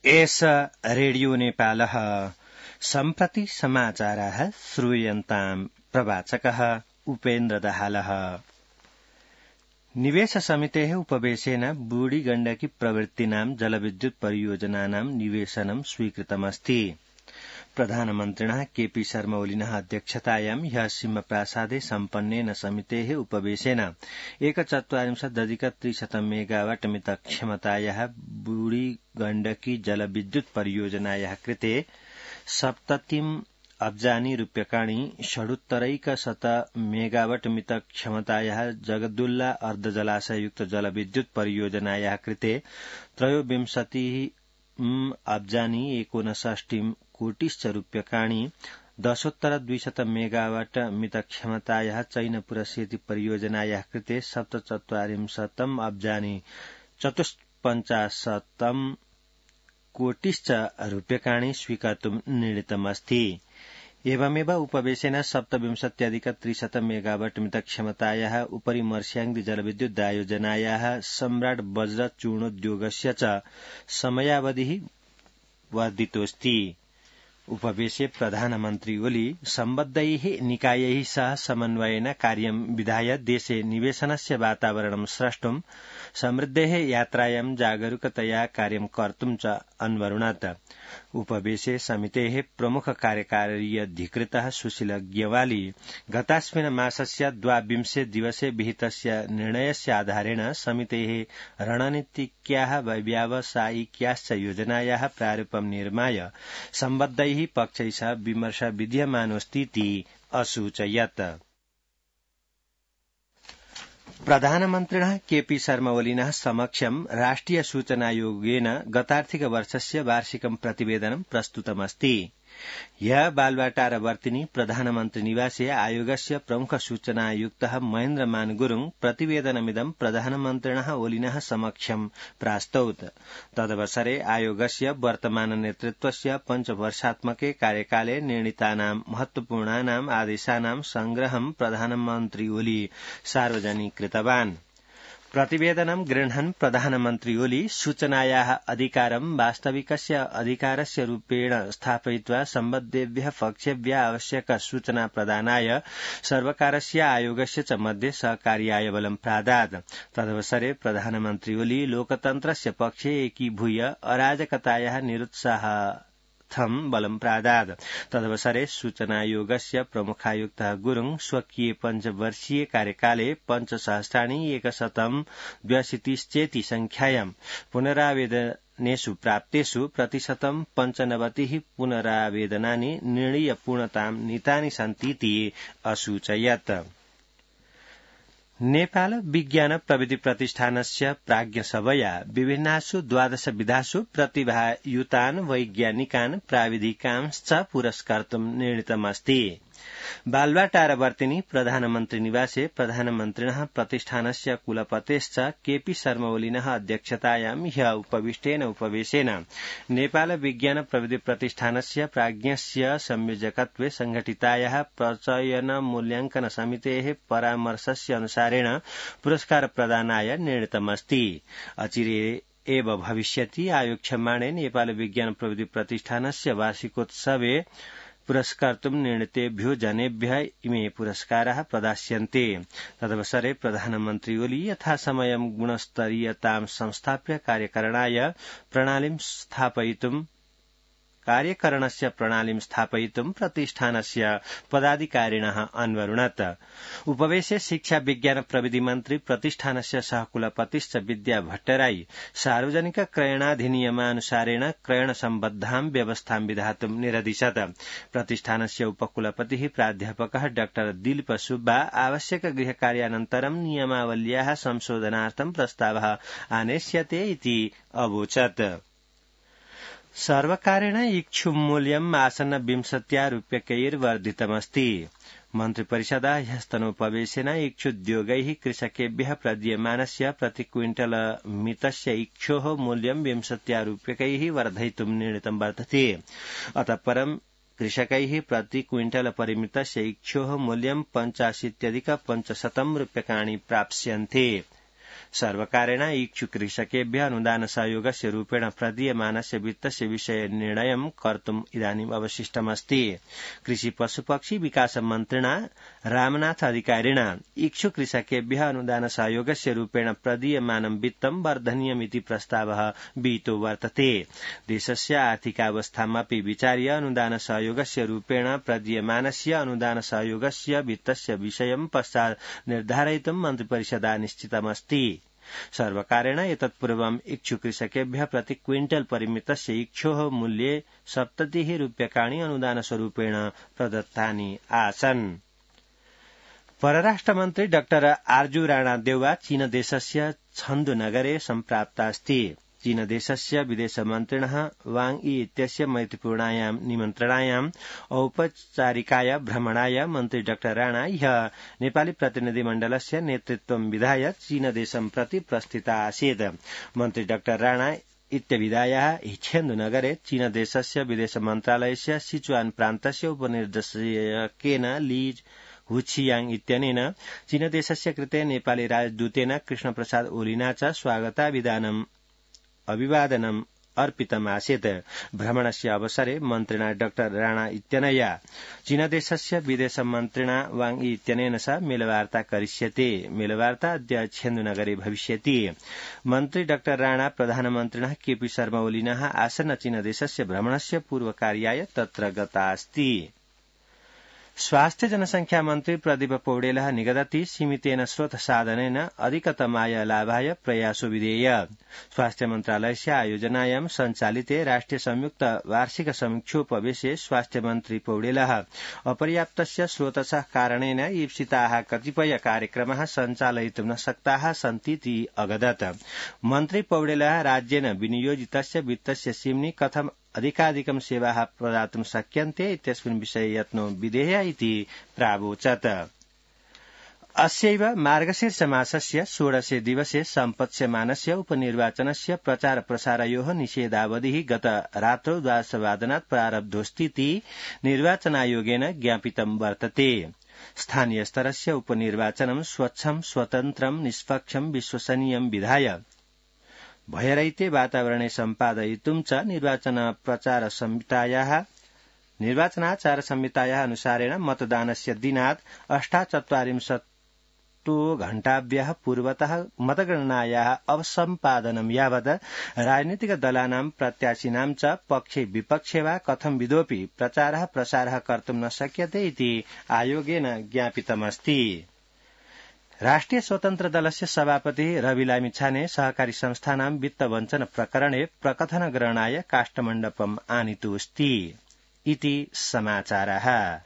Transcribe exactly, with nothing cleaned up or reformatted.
एष रेडियो नेपालः सम्प्रति समाचाराः श्रूयन्ताम् प्रवाचकः उपेन्द्र दाहालः। निवेश समितेः उपवेशेन बूढी गण्डकी प्रवृत्तीनां जलविद्युत परियोजनानां निवेशनं स्वीकृतमस्ति। प्रधानमन्त्रिणः केपी शर्मा ओलिनः अध्यक्षतायां ह्यः सिंहप्रासादे सम्पन्नेन समितेः उपवेशेन एकचत्वारिंशदधिक त्रिशतं मेगावाट मित क्षमतायाः बूढी गण्डकी जलविद्युत परियोजनायाः कृते सप्ततिम् अब्जानि रूप्यकाणि षडुत्तरैकशत मेगावाट मित क्षमतायाः जगदुल्ला अर्धजलाशययुक्त जलविद्युत परियोजनायाः कृते त्रयोविंशतिः अब्जानि एकोनषष्टिम् कोटिश्च रूप्यकाणि दशोत्तर द्विशत मेगावाट मित क्षमतायाः चैनपुरसेती परियोजनायाः कृते सप्तचत्वारिंशतम् अब्जानि चतुष्पञ्चाशतम् कोटिश्च रूप्यकाणि स्वीकर्तुम् निर्णीतमस्ति। एवमेव उपवेशेन सप्तविंशत्यधिक त्रिशत मेगावाट मित क्षमतायाः उपरि मर्स्याङ्दी जलविद्युदायोजनायाः सम्राट वज्र चूर्णोद्योगस्य च समयावधिः वर्धितोऽस्ति। उपवेशे प्रधानमन्त्री ओली सम्बद्धैः निकायैः सह समन्वयेन कार्यं विधाय देशे निवेशनस्य वातावरणं स्रष्टुं समृद्धेः यात्रायां जागरूकतया कार्यं कर्तुं च अन्वरुणत। उपवेशे समितेः प्रमुख कार्यकार्यधिकृतः सुशील ग्यवाली गतास्मिन् मासस्य द्वाविंशे दिवसे विहितस्य निर्णयस्य आधारेण समितेः रणनीतिक्याः व्यावसायिक्याश्च योजनायाः प्रारूपं निर्माय सम्बद्धैः पक्षैः सह विमर्शः विद्यमानोऽस्तीति असूचयत्। प्रधानमन्त्रिणः केपी शर्मा ओलिनः समक्षं राष्ट्रिय सूचनायोगेन गतार्थिक वर्षस्य वार्षिकं प्रतिवेदनं प्रस्तुतमस्ति। ह्यः बालुवाटारवर्तिनि प्रधानमन्त्री निवासे आयोगस्य प्रमुख सूचनायुक्तः महेन्द्रमान गुरुङ प्रतिवेदनमिदं प्रधानमन्त्रिणः ओलिनः समक्षं प्रास्तौत। तदवसरे आयोगस्य वर्तमान नेतृत्वस्य पञ्चवर्षात्मके कार्यकाले निर्णीतानां महत्वपूर्णानाम् आदेशानां संग्रहं प्रधानमन्त्री ओली सार्वजनिकृतवान्। प्रतिवेदनं गृह्णन् प्रधानमन्त्री ओली सूचनायाः अधिकारं वास्तविकस्य अधिकारस्य रूपेण स्थापयित्वा सम्बद्धेभ्यः पक्षेभ्यः आवश्यक सूचना प्रदानाय सर्वकारस्य आयोगस्य च मध्ये सहकार्याय बलं प्रादात्। तदवसरे प्रधानमन्त्री ओली लोकतन्त्रस्य पक्षे एकीभूय अराजकतायाः निरुत्साह बलं प्रादात्। तदवसरे सूचनायोगस्य प्रमुखायुक्तः गुरुङ स्वकीय पञ्चवर्षीय कार्यकाले पञ्चसहस्राणि एकशतं द्व्यशीतिश्चेति संख्यायां पुनरावेदनेषु प्राप्तेषु प्रतिशतं पञ्चनवतिः पुनरावेदनानि निर्णीयपूर्णतां नीतानि सन्तीति असूचयत्। नेपाल विज्ञान प्रविधि प्रतिष्ठानस्य प्राज्ञसभया विभिन्नासु द्वादश विधासु प्रतिभायुतान् वैज्ञानिकान् प्राविधिकांश्च पुरस्कर्तुं निर्णीतमस्ति। बालुवाटारवर्तिनि प्रधानमन्त्री निवासे प्रधानमन्त्रिणः प्रतिष्ठानस्य कुलपतेश्च केपी शर्मा ओलिनः अध्यक्षतायां ह्यः उपविष्टेन उपवेशेन नेपाल विज्ञान प्रविधि प्रतिष्ठानस्य प्राज्ञस्य संयोजकत्वे संघटितायाः प्रचयन मूल्याङ्कन समितेः परामर्शस्य अनुसारेण पुरस्कार प्रदानाय निर्णीतमस्ति। अचिरे एव भविष्यति आयोक्ष्यमाणे नेपाल विज्ञान प्रविधि प्रतिष्ठानस्य वार्षिकोत्सवे पुरस्कर्तुं निर्णीतेभ्यो जनेभ्यः इमे पुरस्काराः प्रदास्यन्ते। तदवसरे प्रधानमन्त्री ओली यथासमयं गुणस्तरीयतां संस्थाप्य कार्यकरणाय प्रणालीं स्थापयितुं कार्यकरणस्य प्रणालीं स्थापयितुं प्रतिष्ठानस्य पदाधिकारिणः अन्वरुणत। उपवेशे शिक्षा विज्ञान प्रविधि मन्त्री प्रतिष्ठानस्य सहकुलपतिश्च विद्या भट्टराई सार्वजनिक क्रयणाधिनियमानुसारेण क्रयण सम्बद्धां व्यवस्थां विधातुं निरदिशत्। प्रतिष्ठानस्य उपकुलपतिः प्राध्यापकः डॉ दिलीप सुब्बा आवश्यक गृहकार्यानन्तरं नियमावल्याः संशोधनार्थं प्रस्तावः आनेष्यते इति अवोचत्। सर्वकारेण इक्षुमूल्यम् आसन्न विंशत्या रूप्यकैर्वर्धितमस्ति। मन्त्रिपरिषदा ह्यस्तनोपवेशेन इक्षुद्योगैः कृषकेभ्यः प्रदीयमानस्य प्रति क्विंटल मितस्य इक्षोः मूल्यं विंशत्या रूप्यकैः वर्धयितुं निर्णीतं वर्तते। अतः परं कृषकैः प्रति क्विंटल परिमितस्य इक्षोः मूल्यं पञ्चाशीत्यधिक पञ्चशतं रूप्यकाणि प्राप्स्यन्ते। सर्वकारेण इच्छुक कृषकेभ्यः अनुदान सहयोगस्य रूपेण प्रदीयमानस्य वित्तस्य विषये निर्णयं कर्तुम् इदानीम् अवशिष्टमस्ति। कृषि पशुपक्षी विकास मन्त्रिणा रामनाथ अधिकारिणा इच्छुक कृषकेभ्यः अनुदान सहयोगस्य रूपेण प्रदीयमानं वित्तं वर्धनीयमिति प्रस्तावः विहितो वर्तते। देशस्य आर्थिकावस्थामपि विचार्य अनुदान सहयोगस्य रूपेण प्रदीयमानस्य अनुदान सहयोगस्य वित्तस्य विषयं पश्चात् निर्धारयितुं मन्त्रिपरिषदा निश्चितमस्ति। सर्वकारेण एतत्पूर्वम् इच्छुक कृषकेभ्यः प्रति क्विंटल परिमितस्य इक्षोः मूल्ये सप्ततिः रूप्यकाणि अनुदानस्वरूपेण प्रदत्तानि आसन्। परराष्ट्रमन्त्री डाक्टर आर्जू राणादेउवा चीनदेशस्य छन्दुनगरे सम्प्राप्तास्ति। चीनदेशस्य विदेशमन्त्रिणः वांग यी इत्यस्य मैत्रीपूर्णायां निमन्त्रणायाम् औपचारिकाय भ्रमणाय मन्त्री डाक्टर राणा ह्यः नेपाली प्रतिनिधिमण्डलस्य नेतृत्वं विधाय चीनदेशं प्रति प्रस्थिता आसीत्। मन्त्री डाक्टर राणा इत्यभिधायाः छेन्दुनगरे चीनदेशस्य विदेश मन्त्रालयस्य सिचुआन प्रान्तस्य उपनिर्देशकेन ली हुचियाङ इत्यनेन चीनदेशस्य कृते नेपाली राजदूतेन कृष्णप्रसाद ओलीना च स्वागताभिधानम् अभिवादनम् अर्पितमासीत्। भ्रमणस्य अवसरे मन्त्रिणा डाक्टर राणा इत्यनया चीनदेशस्य विदेश मन्त्रिणा वांग यी इत्यनेन सह मेलवार्ता करिष्यति। मेलवार्ता अद्य छेन्दुनगरे भविष्यति। मन्त्री डाक्टर राणा प्रधानमन्त्रिणः केपी शर्मा ओलीनः आसन्न चीनदेशस्य भ्रमणस्य पूर्वकार्याय तत्र गता अस्ति। स्वास्थ्य जनसंख्या मन्त्री प्रदीप पौडेलः निगदति सीमितेन स्रोत साधनेन अधिकतमाय लाभाय प्रयासो विधेय। स्वास्थ्य मन्त्रालयस्य आयोजनायां सञ्चालिते राष्ट्रिय संयुक्त वार्षिक समीक्षोपवेशे स्वास्थ्य मन्त्री पौडेलः अपर्याप्तस्य स्रोतसः कारणेन ईप्सिताः कतिपय कार्यक्रमाः सञ्चालयितुं न शक्ताः सन्तीति अगदत्। मन्त्री पौडेलः राज्येन विनियोजितस्य वित्तस्य सीम्नि कथं अधिकाधिकं सेवाः प्रदातुं शक्यन्ते इत्यस्मिन् विषये यत्नो विधेय इति प्रावोचत्। अस्यैव मार्गशीर्ष मासस्य षोडशे दिवसे सम्पत्स्यमानस्य उपनिर्वाचनस्य प्रचार प्रसारयोः निषेधावधिः गत रात्रौ द्वादशवादनात् प्रारब्धोऽस्तीति निर्वाचनायोगेन ज्ञापितं वर्तते। स्थानीय स्तरस्य उपनिर्वाचनं स्वच्छं स्वतन्त्रं निष्पक्षं विश्वसनीयं विधाय भयरहिते वातावरणे सम्पादयितुं च निर्वाचन प्रचार संहितायाः निर्वाचनाचार संहितायाः अनुसारेण मतदानस्य दिनात् अष्टाचत्वारिंशत्तु घण्टाभ्यः पूर्वतः मतगणनायाः अवसम्पादनं यावत् राजनीतिक दलानां प्रत्याशिनां च पक्षे विपक्षे वा कथं विधोऽपि प्रचारः प्रसारः कर्तुं न शक्यते इति आयोगेन ज्ञापितमस्ति। राष्ट्रिय स्वतन्त्र दलस्य सभापति रवि लामिछाने सहकारी संस्थानां वित्तवञ्चन प्रकरणे प्रकथन ग्रहणाय काष्ठमण्डपम् आनीतोऽस्ति इति समाचारः।